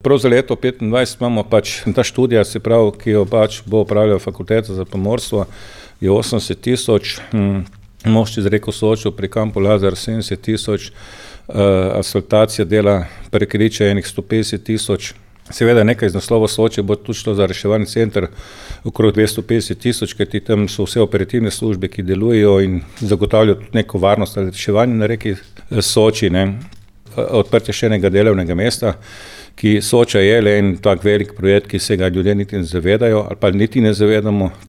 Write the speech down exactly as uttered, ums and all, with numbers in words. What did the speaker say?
Prav za leto petindvajset imamo pač ta študija, se pravi, ki jo pač bo opravljala Fakulteta za pomorstvo, je osemdeset tisoč, Most čez reko Sočo pri kampu Lazar sedemdeset tisoč, asfaltacija dela prek Riče enih sto petdeset tisoč, seveda nekaj iz naslova Soče bo tudi šlo za reševalni center okrog dvesto petdeset tisoč, kajti tam so vse operativne službe, ki delujejo in zagotavljajo tudi neko varnost ali reševanje na reki Soči, ne. Odprtje še enega delovnega mesta, ki Soča je le en tak velik projekt, ki se ga ljudje niti ne zavedajo ali pa niti ne zavedamo.